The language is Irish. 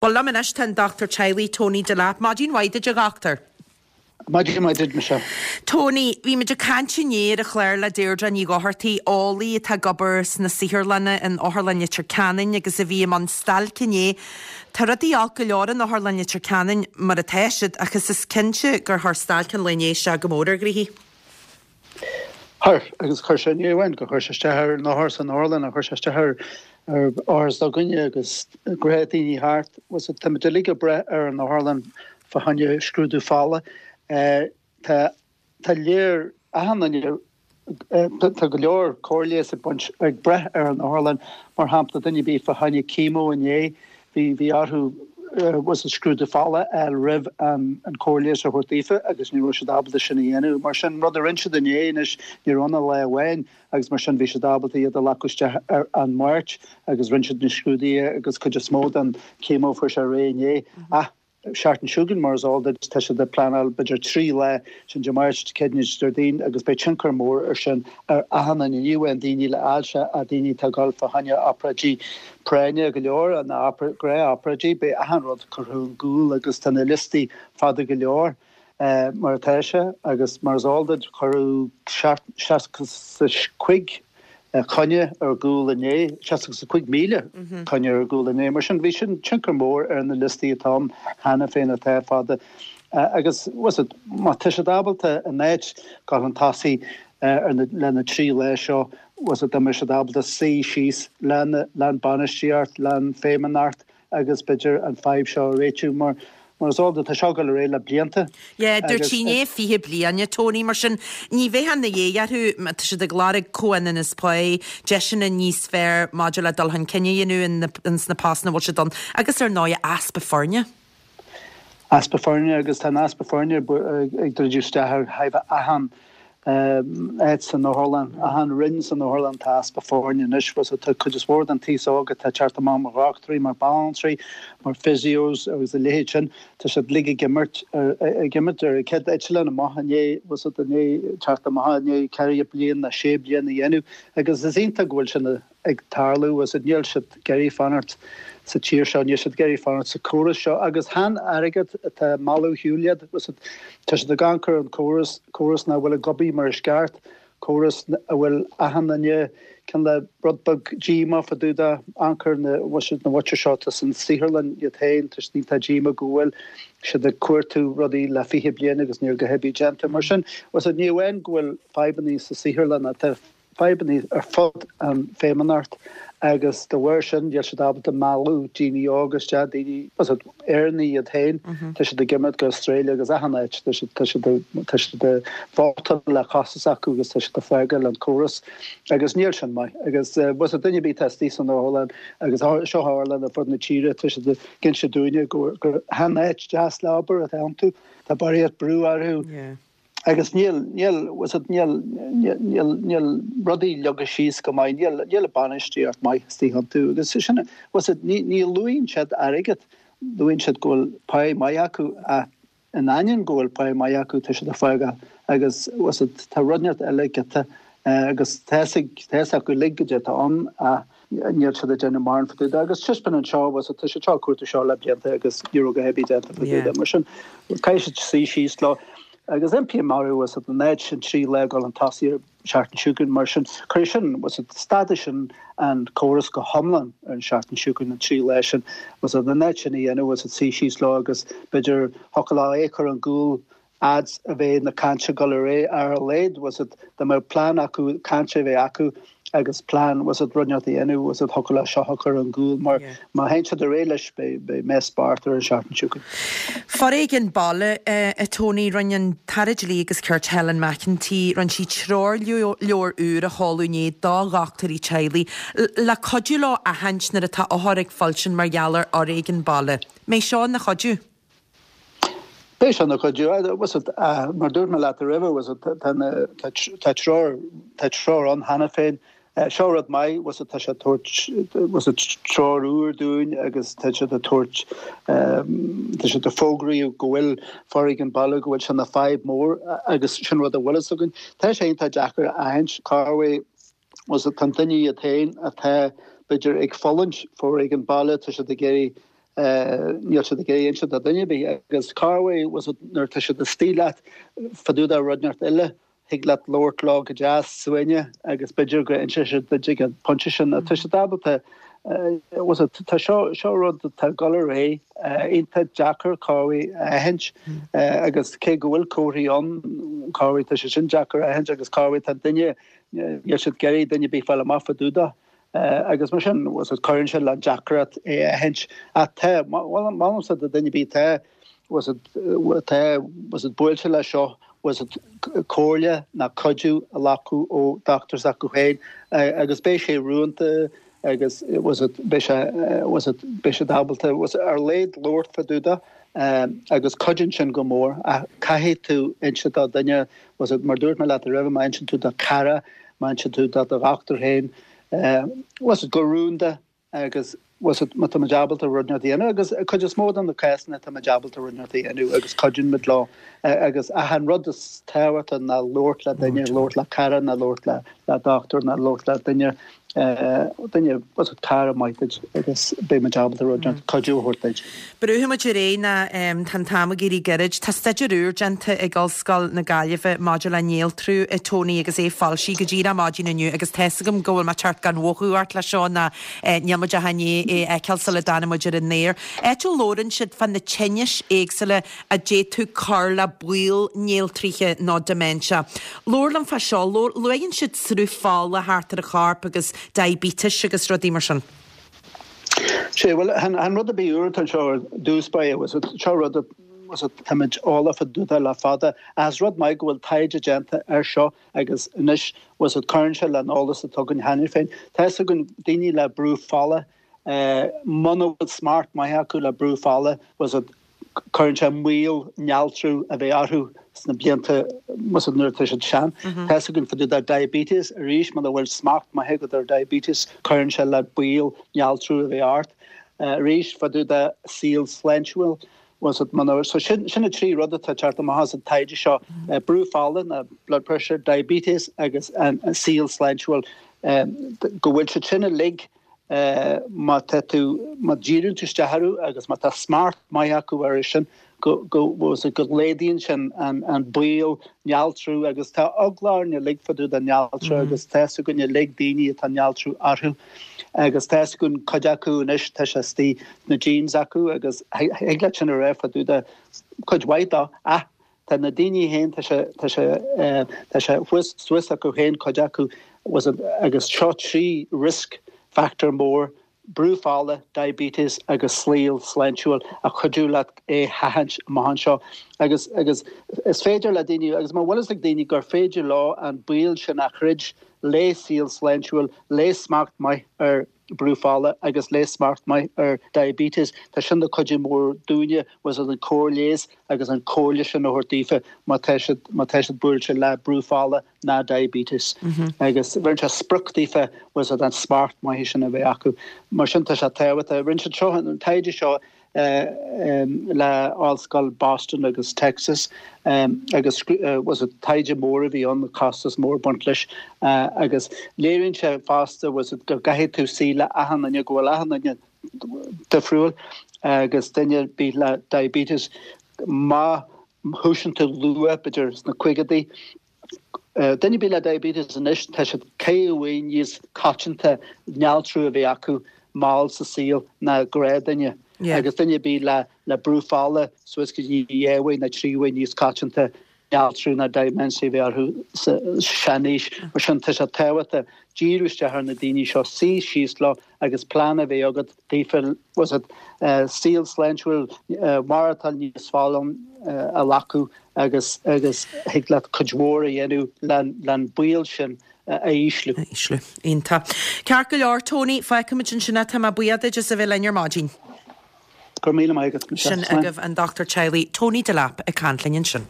Bhuel, liom anois tá an Dochtúir Teaghlaigh, Tony Delap. Maidin mhaith duit, a Dhochtúir. Maidin mhaith duit, Michelle. Tony, bhí muid ag caint inné ar an chlár le Deirdre Ní Dhochartaigh, eolaí atá ag obair sna saotharlanna in Otharlann Leitir Ceanainn agus a bhí i mbun stailce inné. Tá rudaí olc go leor in Otharlann Leitir Ceanainn mar atá siad ach is is cinnte gur chuir stailc an lae inné isteach go mór ar ghnoithí. Chuir, agus chuir sé, ní amháin gur chuir sé isteach ar na hothair san otharlann, ach chuir sé isteach ar othair s'againne agus gnáthdhaoine thart. Tá muid uilig ag brath ar an otharlann fá choinne scrúdú fola. Tá, tá léir, achan duine, tá go leor cóir leighis ag baint, ag brath ar an otharlann. Mar shampla, duine ar bith fá choinne chemo inné, Bhí, bhí orthu bhfuil scrúdú fola a fháil roimh an an cóir leighis a thabhairt daofa agus ní raibh siad ábalta sin a dhéanamh. Mar sin, rud a rinne siad inné anois, ní raibh ann ach lá amháin agus mar sin bhí siad ábalta iad a ghlacadh isteach ar an Máirt agus rinne siad na scrúduithe agus cuid is mó den chemo fuair sé réidh inné. Ach seachtain seo chugainn, mar is eol duit, tá siad ag pleanáil b'fhéidir 3 lá, sin Dé Máirt, Dé Céadaoin agus Déardaoin agus beidh tionchar mór ar sin ar achan duine, ní amháin daoine le ailse ach daoine atá ag dul fá choinne obráidí práinne go leor, na gnáth-obráidí, beidh achan rud curtha ar gcúl agus tá na liostaí fada go leor mar atá sé agus mar is eol duit cuireadh 65 coinne ar gcúl inné, 65,000 coinne ar gcúl inné. Mar sin bhí sin tionchar mór ar na liostaí atá ann cheana féin atá fada. Agus má tá siad ábalta in áit dul chun tosaigh ar na le na 3 lá seo, dá mbeadh siad ábalta suí síos le an bainistíocht, le an feidhmeannacht agus b'fhéidir an fadhb seo a réitiú mar mar is eol duit tá seo ag dul ar aghaidh le blianta Yeah, dúirt sí inné 20 bliain, a Tony, mar sin ní bheifeá ina dhiaidh orthu, má tá siad ag lorg comhionannas pá, deiseanna níos fearr maidir le dul chun cinn a dhéanamh ins na postanna a bhfuil siad ann agus ar ndóigh easpa foirne. Easpa foirne agus tá an easpa foirne ag druidim isteach ar thaobh achan áit san otharlann, achan roinn san otharlann tá easpa foirne anois. Tá cuid is mhór den t-aos óg atá ag teacht amach mar dhochtúirí, mar banaltraí, mar physios agus a leithéid sin, tá siad uilig ag imirt, ag imirt ar an chéad eitleán amach i ndiaidh, i ndiaidh teacht amach i ndiaidh ceithre bliana nó sé bliana a dhéanamh agus is iontach go bhfuil sin ag tarlú agus níl siad ag iarraidh fanacht sa tír seo, níl siad ag iarraidh fanacht sa córas seo agus chan airgead atá ag mealladh ar shiúl iad, tá siad ag amharc ar an córas, córas nach bhfuil ag obair mar is ceart, córas a bhfuil achan duine cineál rud beag díomách fá dtaobh de, amharc ar na na muintir seo atá san saotharlann iad féin, tá siad iontach díomách go bhfuil siad ag cuartú rudaí le 20 bliain agus níl a dhath ar bith déanta. Mar sin, ní amháin go bhfuil fadhbanna sa saotharlann ach tá fadhbanna ar fud an feidhmeannacht agus de bharr sin níl siad ábalta mealladh daoine óga isteach, daoine, Éireannaigh iad féin, tá siad ag imeacht go Australia agus achan áit, tá siad, tá siad, tá siad ag vótáil le cosa s'acu agus tá siad ag fágáil an córas agus níl sin maith. Agus bhuel duine ar bith atá istigh san otharlann agus seo otharlann ar fud na tíre, tá siad ag inse dúinne gur chan áit deas le obair atá iontu, tá barraíocht brú orthu. Agus níl, níl, bhfuil níl, níl, níl rudaí leagtha síos go maith, níl, níl bainistíocht maith istigh iontu. Agus sin, bhfuil ní, ní luaíonn siad airgead, luaíonn siad go bhfuil pá maith acu ach in ainneoin go bhfuil pá maith acu tá siad ag fágáil agus bhfuil tá rud inteacht eile giota agus tá a fhios acu uilig goidé atá ann ach níl siad ag déanamh mórán fá dtaobh de. Agus taispeánann seo, bhfuil tá siad seo ag cuartú seo le blianta agus ní raibh a dhath ar bith déanta fá dtaobh de. Mar sin, caithfidh siad suí síos leo. Agus impím orthu, bhfuil in áit sin 3 lá ag dul chun tosaigh ar seachtain seo chugainn. Mar sin, cuirfidh sin, bhfuil stadfaidh sin an córas go hiomlán ar an seachtain seo chugainn, an 3 lá sin. Bhfuil in áit sin a dhéanamh, bhfuil suí síos leo agus b'fhéidir thiocfadh leo é a chur ar gcúl fhad a bheidh na cainte ag dul ar aghaidh ar a laghad, bhfuil a fhios agat, dá mbeadh plean acu, caint a bheith acu agus plean, bhfuil a fhios agat, rud inteacht a dhéanamh, bhfuil a fhios agat, thiocfadh leo seo a chur ar gcúl mar má théann siad ar aghaidh leis beidh, beidh mess bocht ar an seachtain seo chugainn. Foréigean baile, a Tony, rinne an tAire Dlí agus Cirt Helen McEntee, rinne sí treoirleabhar úr a sheoladh inné do dhochtúirí teaghlaigh le cuidiú leo aithint nuair atá othar ag fuilsint mar gheall ar fhoréigean baile. Mbeidh seo ina chuidiú? Beidh sé ina chuidiú. Mar dúirt mé leat roimhe, tá treoir, tá treoir ann cheana féin. Seo rud maith, tá sé ag tabhairt treoir úr dúinn agus tá siad ag tabhairt, tá siad ag fógraíodh go bhfuil foréigean baile, go bhfuil sé ina fadhb mór agus sin rud a bhfuil fhios againn. Tá sé iontach deacair a aithint cá bhfuil, tá an duine iad féin atá b'fhéidir ag fulaingt foréigean baile, tá siad ag iarraidh. Níl siad ag iarraidh inse do dhuine ar bith agus corruair bhfuil fhios agat nuair atá siad istigh leat fá dtaobh de rud inteacht eile thig leat labhairt leo go deas suaimhneach agus b'fhéidir go inseoidh siad duit ag an pointe sin. Tá siad ábalta bhfuil fhios agat tá seo seo rud atá ag dul ar aghaidh iontach deacair corruair a aithint agus cé go bhfuil comharthaí ann corruair tá sé sin deacair a aithint agus corruair tá duine níl siad ag iarraidh duine ar bith fáil amach fá dtaobh de. Agus mar sin, bhfuil fhios agat, cuireann sé le deacracht é a aithint. Ach tá, molaimse do dhuine ar bith atá, bhfuil fhios agat, atá, bhfuil fhios agat, buailte leis seo, bhfuil fhios agat, comhairle ná cuidiú a ghlacadh ó dochtúir s'acu féin agus beidh sé rúnda agus, bhfuil fhios agat, beidh sé, bhfuil fhios agat, beidh siad ábalta, bhfuil fhios agat, ar a laghad labhairt fá dtaobh de agus cuidíonn sin go mór. Ach caithfidh tú inse do dhuine, bhfuil fhios agat, mar dúirt mé leat roimhe, má inseann tú do chara, Má inseann tú do do dhochtúir féin, bhfuil fhios agat, go rúnda agus bhfuil fhios agat, má tá muid ábalta rud inteacht a dhéanamh agus cuid is mó de na cásanna tá muid ábalta rud inteacht a dhéanamh agus cuidíonn muid leo agus ach an rud is tábhachtaí ná labhairt le duine, labhairt le cara ná labhairt le le dochtúir ná labhairt le duine duine, bhfuil fhios agat, cara maith duit agus beidh muid ábalta rud inteacht, cuidiú a thabhairt duit. Brúfaidh muid ar aghaidh ná tá an t-am ag éirí gairid. Tá staidéar úr déanta ag Ollscoil na Gaillimhe maidir le néaltrú, a Tony, agus é foilsithe go díreach maidin inniu agus tá's agam go bhfuil mé ag teacht gan mhothú ort le seo ná níl muid ach i ndiaidh é a fheiceáil sula dtáinig muid ar an aer. Áit a labhrann siad fá na tinnis éagsúla a d'fhéadfadh cur le baol néaltraithe nó dementia. Labhair liom fá seo. Luann siad sruth fola thart ar an chorp agus diabetes agus rudaí mar sin. Sea, bhuel, chan rud ar bith úr atá anseo ar dtús báire, bhfuil fhios agat, seo rud a, bhfuil fhios agat, táimid eolach fá dtaobh de le fada, ach is rud maith go bhfuil taighde déanta air seo agus anois, bhfuil fhios agat, cuireann sé leis an eolas atá againn cheana féin. Tá fhios againn daoine le brú fola, muna bhfuil smacht maith acu le brú fola, bhfuil fhios agat, cuireann sé moill néaltrú a bheith orthu sna blianta bhfuil fhios agat nuair atá siad sean. Tá fhios againn fá dtaobh de diabetes arís muna bhfuil smacht maith agat ar diabetes cuireann sé le baol néaltrú a bheith ort. Arís fá dtaobh de saol sláintiúil bhfuil fhios agat muna so sin sin na trí rud atá ag teacht amach as an taighde seo brú fola ná blood pressure, diabetes agus an saol sláintiúil go bhfuil siad sin uilig má tá tú, má dhíríonn tú isteach orthu agus má tá smacht maith acu orthu sin, go, go, bhfuil fhios agat, go laghdaíonn sin an, an baol néaltrú agus tá eagla orainn uilig fá dtaobh de néaltrú agus tá fhios againn uilig daoine atá néaltrú orthu agus tá fhios againn cuid acu anois tá sé istigh sna genes acu agus thig leat sin a rá fá dtaobh de cuid mhaith dó ach Tá na daoine féin, tá sé, tá sé, tá sé thuas, suas acu féin, cuid acu, bhfuil fhios agat, agus seo 3 risk factor mór, brú fola, diabetes agus saol sláintiúil a chuideodh leat é sheachaint amach anseo. Agus, agus is féidir le daoine, agus má bhfuil fhios ag daoine gur féidir leo an baol sin a throid le saol sláintiúil, le smacht maith ar, brú fola agus le smacht maith ar diabetes. Tá sin de chuidiú mór dúinne bhfuil fhios agat an cóir leighis agus an comhairle sin a thabhairt daofa má tá siad má tá siad buailte le brú fola ná diabetes. Agus bheireann sé sprioc daofa bhfuil fhios agat an smacht maith sin a bheith acu. Mar sin tá sé tábhachtach. Rinne siad seo an taighde seo le Ollscoil Boston agus Texas agus bhfuil fhios agat taighde mór a bhí ann, costas mór ag baint leis agus léiríonn sé fosta bhfuil fhios agat go gcaithfidh tú suí le achan duine, go bhfuil achan duine difriúil agus duine ar bith le diabetes má thosaíonn tú luath, b'fhéidir sna caogaidí, Duine ar bith le diabetes anois, tá siad ceithre huaire níos coitianta néaltrú a bheith acu mall sa saol ná gnáthdhuine. Agus duine ar bith le le brú fola suas go dtí dhá uair nó trí huaire níos coitianta néaltrú ná dementia a bheith orthu sa seanaois. Mar sin tá sé tábhachtach díriú isteach ar na daoine seo, suí síos leo agus plean a bheith agat daofa, bhfuil fhios agat, saol sláintiúil, maireachtáil níos folláine a ghlacadh agus agus thig leat cuid mhór a dhéanamh len baol sin a ísliú. A ísliú. Iontach. Ceart go leor, Tony, fágfaimid ansin é. Tá mé buíoch duit as a bheith linn ar maidin. Go raibh míle maith agat, Michelle. Sin agaibh an Dochtúir Teaghlaigh Tony Delap ag caint linn ansin.